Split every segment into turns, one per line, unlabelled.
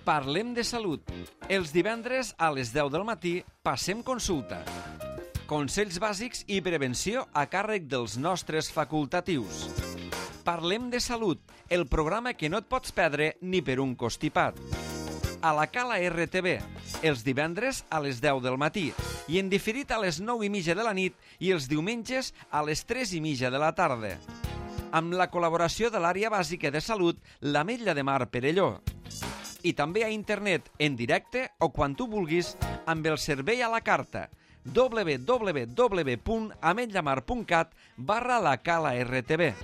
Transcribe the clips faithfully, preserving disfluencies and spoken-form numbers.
Parlem de salut. Els divendres a les deu del matí passem consulta. Consells bàsics i prevenció a càrrec dels nostres facultatius. Parlem de salut, el programa que no et pots perdre ni per un constipat. A la Cala R T V, els divendres a les deu del matí i en diferit a les nou i mitja de la nit i els diumenges a les tres i mitja de la tarda. Amb la col·laboració de l'àrea bàsica de salut, l'Ametlla de Mar Perelló. I també a internet, en directe o quan tu vulguis, amb el servei a la carta w w w punt ametllamar punt cat barra la Cala R T V.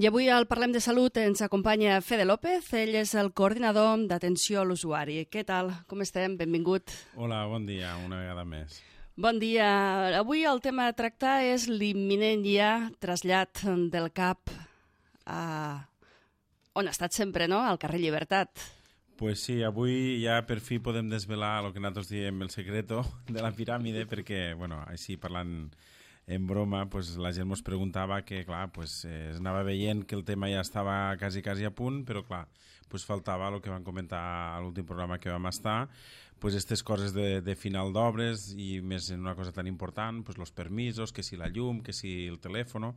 I avui al Parlem de Salut ens acompanya Fede López, ell és el coordinador d'atenció a l'usuari. Què tal? Com estem? Benvingut.
Hola, bon dia, una vegada més.
Bon dia. Avui el tema a tractar és l'imminent ja trasllat del C A P a on ha estat sempre, no? Al carrer Llibertat.
Pues sí, avui ja per fi podem desvelar el que nosaltres diem el secreto de la piràmide, perquè, bueno, així parlant en broma, pues, la gent ens preguntava que, clar, pues, eh, es anava veient que el tema ja estava quasi, quasi a punt, però, clar, pues, faltava el que vam comentar a l'últim programa que vam estar, pues, aquestes coses de, de final d'obres i més en una cosa tan important, pues, los permisos, que si la llum, que si el telèfon,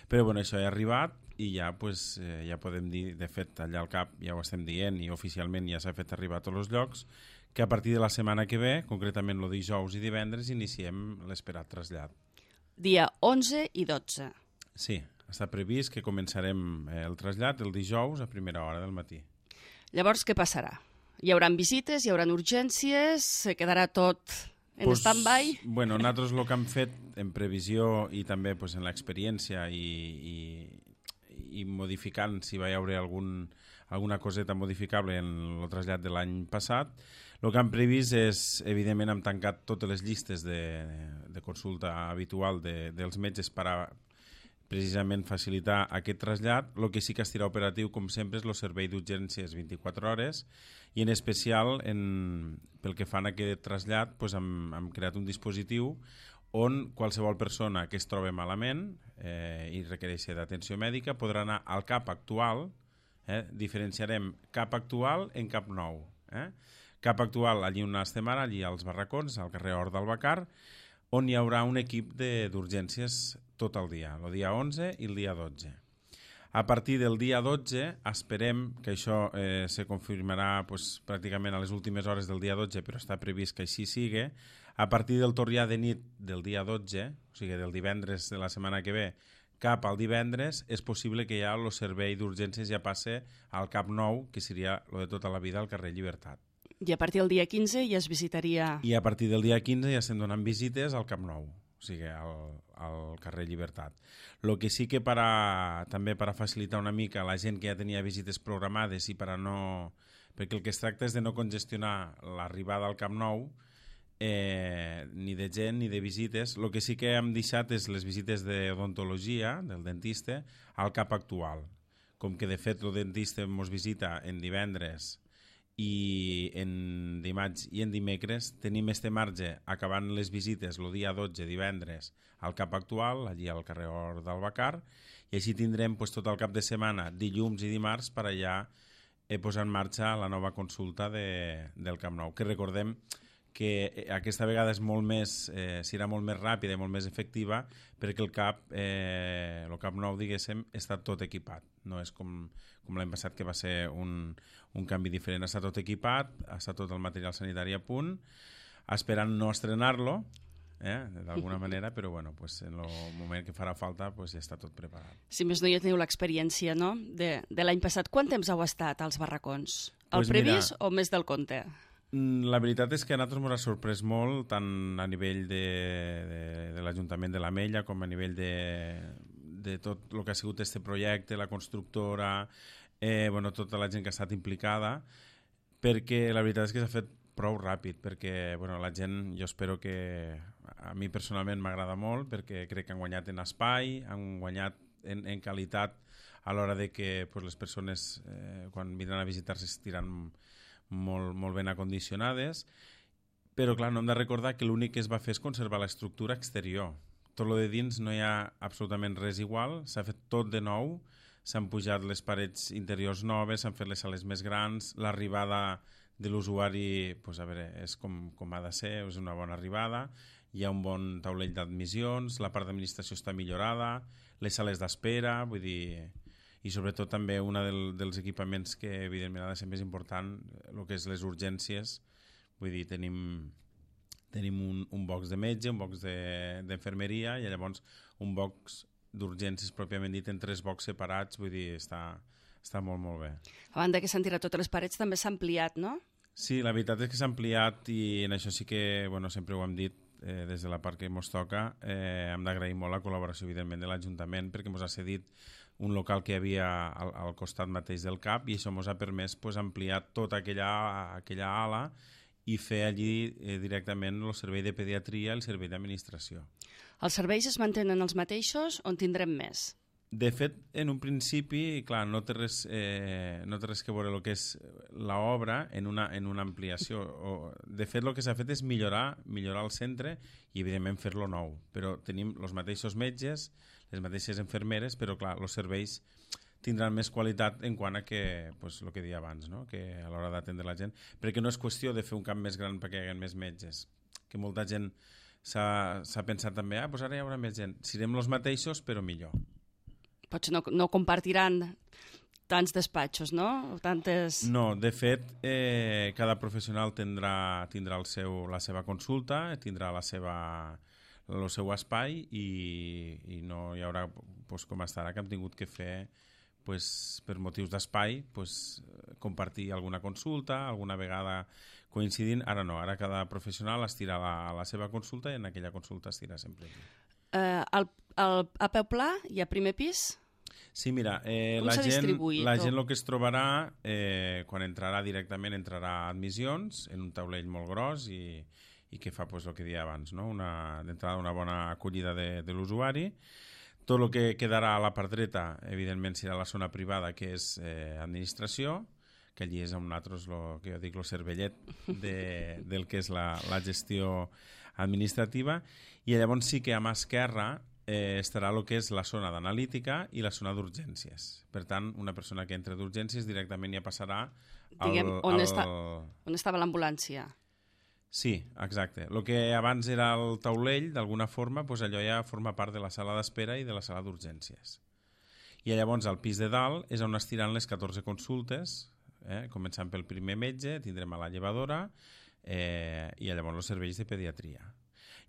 però, bueno, això ja ha arribat i ja, pues, eh, ja podem dir, de fet, allà al C A P ja ho estem dient i oficialment ja s'ha fet arribar a tots els llocs, que a partir de la setmana que ve, concretament el dijous i divendres, iniciem l'esperat trasllat.
Dia onze i dotze.
Sí, està previst que començarem el trasllat el dijous a primera hora del matí.
Llavors, què passarà? Hi haurà visites, hi haurà urgències, se quedarà tot en
pues,
stand-by?
Bueno, nosaltres el que hem fet en previsió i també pues, en l'experiència i, i, i modificant si va haver algun, alguna coseta modificable en el trasllat de l'any passat, el que hem previst és, evidentment, hem tancat totes les llistes de, de consulta habitual de, dels metges per a precisament facilitar aquest trasllat. El que sí que estarà operatiu, com sempre, és el servei d'urgències vint-i-quatre hores i en especial, en, pel que fan a aquest trasllat, doncs hem, hem creat un dispositiu on qualsevol persona que es troba malament eh, i requereix d'atenció mèdica podrà anar al C A P actual, eh, diferenciarem C A P actual en C A P nou, eh? C A P actual, allí on estem ara, allí als barracons, al carrer Hort del Bacar, on hi haurà un equip d'urgències tot el dia, el dia onze i el dia dotze. A partir del dia dotze esperem que això eh, se confirmarà pues, pràcticament a les últimes hores del dia dotze, però està previst que així sigui. A partir del torrià de nit del dia dotze, o sigui del divendres de la setmana que ve, cap al divendres, és possible que ja el servei d'urgències ja passe al C A P nou, que seria el de tota la vida al carrer Llibertat.
I a partir del dia quinze ja es visitaria...
I a partir del dia quinze ja estem donant visites al C A P nou, o sigui, al, al carrer Llibertat. El que sí que per a, també per a facilitar una mica la gent que ja tenia visites programades i per a no... perquè el que es tracta és de no congestionar l'arribada al C A P nou, eh, ni de gent ni de visites. El que sí que hem deixat és les visites d'odontologia del dentista al C A P actual. Com que de fet el dentista ens visita en divendres i en dimarts i en dimecres tenim este marge acabant les visites el dia dotze divendres al C A P actual, allí al carrer Hort del Bacar, i així tindrem pues, tot el cap de setmana, dilluns i dimarts, per allà eh, posar en marxa la nova consulta de, del C A P nou, que recordem que aquesta vegada és molt més, eh, serà molt més ràpida i molt més efectiva perquè el C A P, eh, el C A P nou, diguéssim, està tot equipat. No és com, com l'any passat que va ser un, un canvi diferent. Està tot equipat, està tot el material sanitari a punt, esperant no estrenar-lo, eh, d'alguna manera, però bueno, pues, en el moment que farà falta pues, ja està tot preparat.
Si més no, ja teniu l'experiència, no?, de, de l'any passat. Quant temps heu estat als barracons? El
pues
previst
mira,
o més del compte?
La veritat és que a nosaltres ens ha sorprès molt, tant a nivell de, de, de l'Ajuntament de l'Ametlla com a nivell de, de tot el que ha sigut este projecte, la constructora, eh, bueno, tota la gent que ha estat implicada, perquè la veritat és que s'ha fet prou ràpid, perquè bueno, la gent, jo espero que a mi personalment m'agrada molt, perquè crec que han guanyat en espai, han guanyat en, en qualitat a l'hora de que pues, les persones eh, quan vindran a visitar-se estiran molt, molt ben acondicionades, però clar, no hem de recordar que l'únic que es va fer és conservar l'estructura exterior. Tot lo de dins no hi ha absolutament res igual, s'ha fet tot de nou, s'han pujat les parets interiors noves, s'han fet les sales més grans, l'arribada de l'usuari pues, a veure, és com, com ha de ser, és una bona arribada, hi ha un bon taulell d'admissions, la part d'administració està millorada, les sales d'espera, vull dir... I sobretot també un del, dels equipaments que evidentment ha de ser més important, el que és les urgències, vull dir, tenim, tenim un, un box de metge, un box d'enfermeria de, i llavors un box d'urgències pròpiament dit en tres boxs separats, vull dir, està, està molt, molt bé.
A banda que s'han tirat totes les parets, també s'ha ampliat, no?
Sí, la veritat és que s'ha ampliat i en això sí que, bueno, sempre ho hem dit, eh, des de la part que ens toca, eh, hem d'agrair molt la col·laboració, evidentment, de l'Ajuntament, perquè ens ha cedit un local que hi havia al, al costat mateix del C A P i això ens ha permès pues, ampliar tota aquella, aquella ala i fer allí eh, directament el servei de pediatria i el servei d'administració.
Els serveis es mantenen els mateixos o en tindrem més?
De fet, en un principi, clar, no té res, eh, no té res que veure el que és l'obra en una, en una ampliació. O, de fet, el que s'ha fet és millorar, millorar el centre i, evidentment, fer-lo nou. Però tenim els mateixos metges, les mateixes infermeres, però, clar, els serveis tindran més qualitat en quant a que, pues, el que deia abans, no? Que a l'hora d'atendre la gent, perquè no és qüestió de fer un camp més gran perquè hi hagi més metges, que molta gent s'ha pensat també, ah, pues ara hi haurà més gent. Serem els mateixos, però millor.
Potser no, no compartiran tants despatxos, no? Tantes...
No, de fet, eh, cada professional tindrà, tindrà el seu, la seva consulta, tindrà la seva, el seu espai i, i no hi haurà, pues, com estarà, que hem tingut que fer pues, per motius d'espai pues, compartir alguna consulta, alguna vegada coincidint. Ara no, ara cada professional estira la, la seva consulta i en aquella consulta estira sempre.
Eh, el, el, a peu pla i a primer pis?
Sí, mira, eh, la, gent, la gent el que es trobarà, eh, quan entrarà directament, entrarà a admissions, en un taulell molt gros i, i que fa pues, el que deia abans, no? D'entrada una bona acollida de, de l'usuari. Tot el que quedarà a la part dreta, evidentment, serà la zona privada, que és eh, administració, que allí és on nosaltres, lo, que jo dic, el cervellet de, del que és la, la gestió administrativa, i llavors sí que a mà esquerra eh, estarà el que és la zona d'analítica i la zona d'urgències. Per tant, una persona que entra d'urgències directament ja passarà al...
Diguem, on,
al...
està, on estava l'ambulància.
Sí, exacte. El que abans era el taulell, d'alguna forma, doncs allò ja forma part de la sala d'espera i de la sala d'urgències. I llavors al pis de dalt és on estiran les catorze consultes, eh? Començant pel primer metge, tindrem a la llevadora eh, i llavors els serveis de pediatria.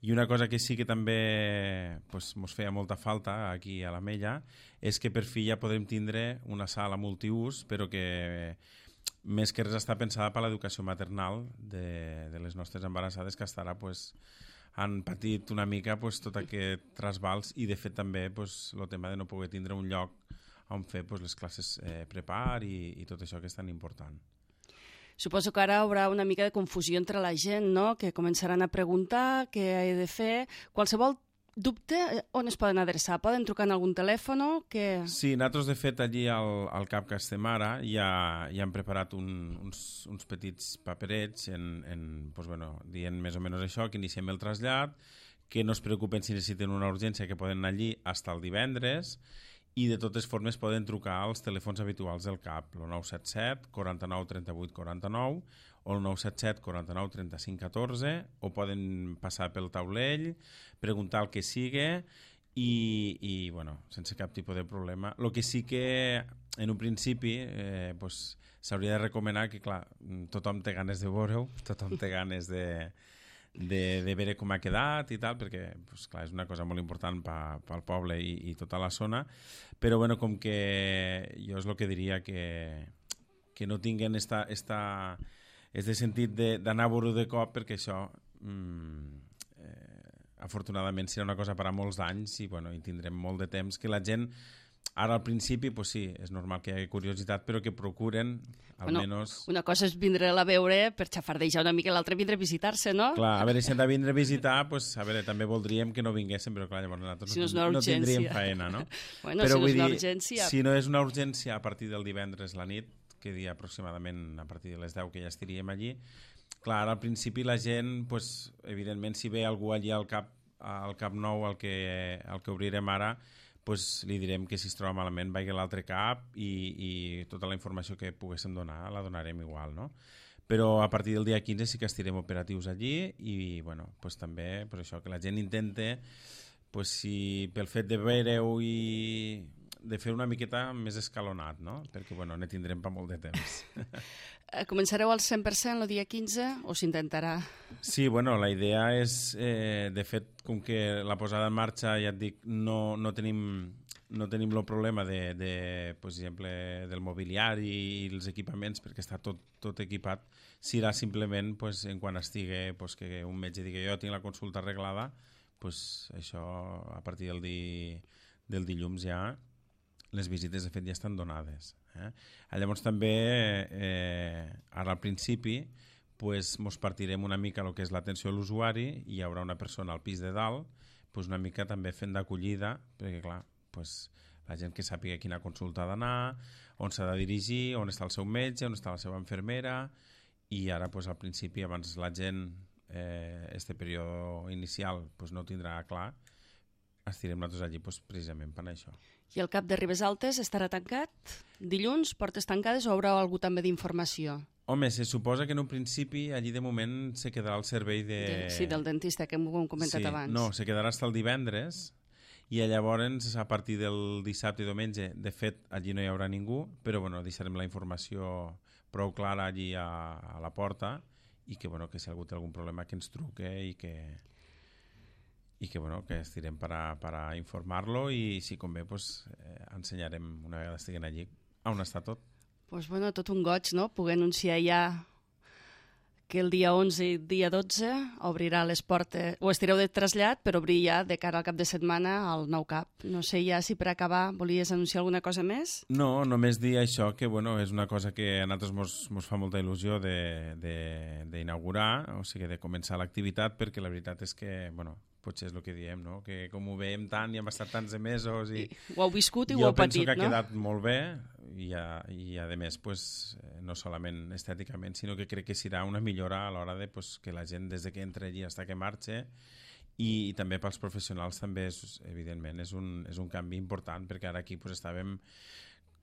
I una cosa que sí que també pues, mos feia molta falta aquí a la Mella és que per fi ja podrem tindre una sala multiús, però que més que res està pensada per l'educació maternal de, de les nostres embarassades, que estarà, pues, han patit una mica pues, tot aquest trasbals i de fet també pues, el tema de no poder tindre un lloc on fer pues, les classes eh, prepar i, i tot això que és tan important.
Suposo que ara hi haurà una mica de confusió entre la gent, no? Que començaran a preguntar què he de fer. Qualsevol dubte, on es poden adreçar? Poden trucar en algun telèfon? Que...
Sí, nosaltres de fet allí al, al C A P que estem ara ja, ja hem preparat un, uns, uns petits paperets en, en, pues, bueno, dient més o menys això, que iniciem el trasllat, que no es preocupen si necessiten una urgència, que poden anar allí fins al divendres, i de totes formes poden trucar als telèfons habituals del C A P, el nou set set, quaranta-nou, trenta-vuit, quaranta-nou, o el nou set set, quaranta-nou, trenta-cinc, catorze, o poden passar pel taulell, preguntar el que sigui, i, i bueno, sense cap tipus de problema. El que sí que, en un principi, eh, pues, s'hauria de recomanar que, clar, tothom té ganes de veure-ho, tothom té ganes de... De, de veure com ha quedat i tal, perquè pues, clar, és una cosa molt important pel pa, poble i, i tota la zona, però bueno, com que jo és el que diria que, que no tinguen esta, esta, este sentit d'anar a veure de cop, perquè això mm, eh, afortunadament serà una cosa per a molts anys i, bueno, i tindrem molt de temps que la gent Ara al principi, pues sí, és normal que hi hagi curiositat, però que procuren, almenys...
Bueno, una cosa és vindre-la a veure per xafardejar una mica, l'altra vindre a visitar-se, no?
Clar, a veure, si hem de vindre a visitar, pues, a veure, també voldríem que no vinguéssim, però clar, llavors nosaltres
si no, no,
no tindríem faena, no?
Bueno,
però
si no és una
dir,
urgència...
Si no és una urgència a partir del divendres la nit, que dia aproximadament a partir de les deu que ja estiríem allí, clar, al principi la gent, pues, evidentment, si ve algú allí al Cap, al Cap Nou, al que, al que obrirem ara, pues, li direm que si es troba malament vagi a l'altre cap i, i tota la informació que poguéssim donar la donarem igual, no? Però a partir del dia quinze sí que estirem operatius allí i, bueno, pues, també pues, això, que la gent intente, pues, si pel fet de veure-ho i de fer una miqueta més escalonat, no? Perquè, bueno, ne tindrem per molt de temps.
Començareu al cent per cent el dia quinze o s'intentarà?
Sí, bueno, la idea és, eh, de fet, com que la posada en marxa, ja et dic, no, no tenim no tenim el problema de, de, per exemple, del mobiliari i els equipaments, perquè està tot, tot equipat, serà simplement, pues, en quan estigui, pues, que un metge digui jo tinc la consulta arreglada, pues, això a partir del, di, del dilluns ja les visites de fet ja estan donades. Eh? Llavors també, eh, ara al principi, pues, mos partirem una mica el que és l'atenció a l'usuari i hi haurà una persona al pis de dalt pues, una mica també fent d'acollida, perquè clar, pues, la gent que sàpiga quina consulta ha d'anar, on s'ha de dirigir, on està el seu metge, on està la seva infermera, i ara pues, al principi, abans la gent, eh, este període inicial pues, no ho tindrà clar, estirem nosaltres allí pues, precisament per això.
I el Cap de Ribes Altes estarà tancat? Dilluns, portes tancades o haurà algú també d'informació?
Home, se suposa que en un principi allí de moment se quedarà el servei de...
de sí, del dentista que hem comentat
sí,
abans.
No, se quedarà fins el divendres i llavors a partir del dissabte i diumenge, de fet, allí no hi haurà ningú, però bueno, deixarem la informació prou clara allí a, a la porta i que, bueno, que si algú té algun problema que ens truque i que... i que, bueno, que estirem per a, per a informar-lo i si convé pues, eh, ensenyarem una vegada estiguen allí on està tot.
Pues, bueno, tot un goig, no? Poder anunciar ja que el dia onze i dia dotze obrirà les portes, o estireu de trasllat, però obrir ja de cara al cap de setmana al nou Cap. No sé ja si per acabar volies anunciar alguna cosa més?
No, només dir això, que bueno, és una cosa que a nosaltres mos, mos fa molta il·lusió d'inaugurar, o sigui, de començar l'activitat, perquè la veritat és que, bueno, potser és el que diem, no? Que com ho veiem tant i hem estat tants de mesos i...
I ho heu viscut i ho heu patit, no?
Jo penso que ha quedat molt bé i a, i a més, pues, no solament estèticament, sinó que crec que serà una millora a l'hora de pues, que la gent des de que entra allí fins que marxa i, i també pels professionals també, és, evidentment, és un, és un canvi important perquè ara aquí pues, estàvem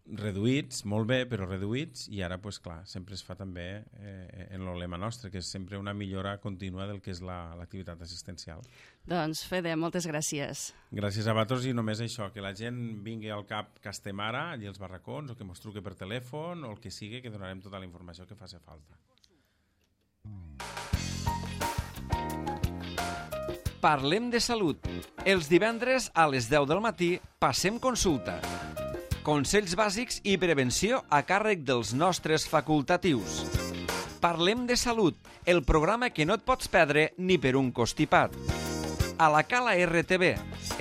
reduïts, molt bé, però reduïts i ara, pues, clar, sempre es fa també eh, en el lema nostre, que és sempre una millora contínua del que és l'activitat la, assistencial.
Doncs, Fede, moltes gràcies.
Gràcies a vosaltres i només això, que la gent vingui al Cap que estem ara, allí als barracons, o que mos truque per telèfon, o el que sigui, que donarem tota la informació que faci falta.
Parlem de salut. Els divendres a les deu del matí passem consulta. Consells bàsics i prevenció a càrrec dels nostres facultatius. Parlem de salut, el programa que no et pots perdre ni per un costipat. A la Cala R T V,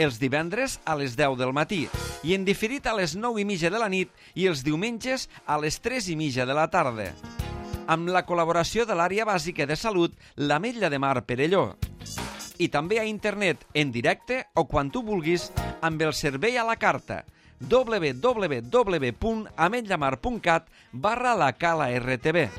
els divendres a les deu del matí i en diferit a les nou i mitja de la nit i els diumenges a les tres i mitja de la tarda. Amb la col·laboració de l'àrea bàsica de salut, l'Ametlla de Mar Perelló. I també a internet, en directe o quan tu vulguis, amb el servei a la carta w w w punt ametlamar punt cat barra la Cala R T V.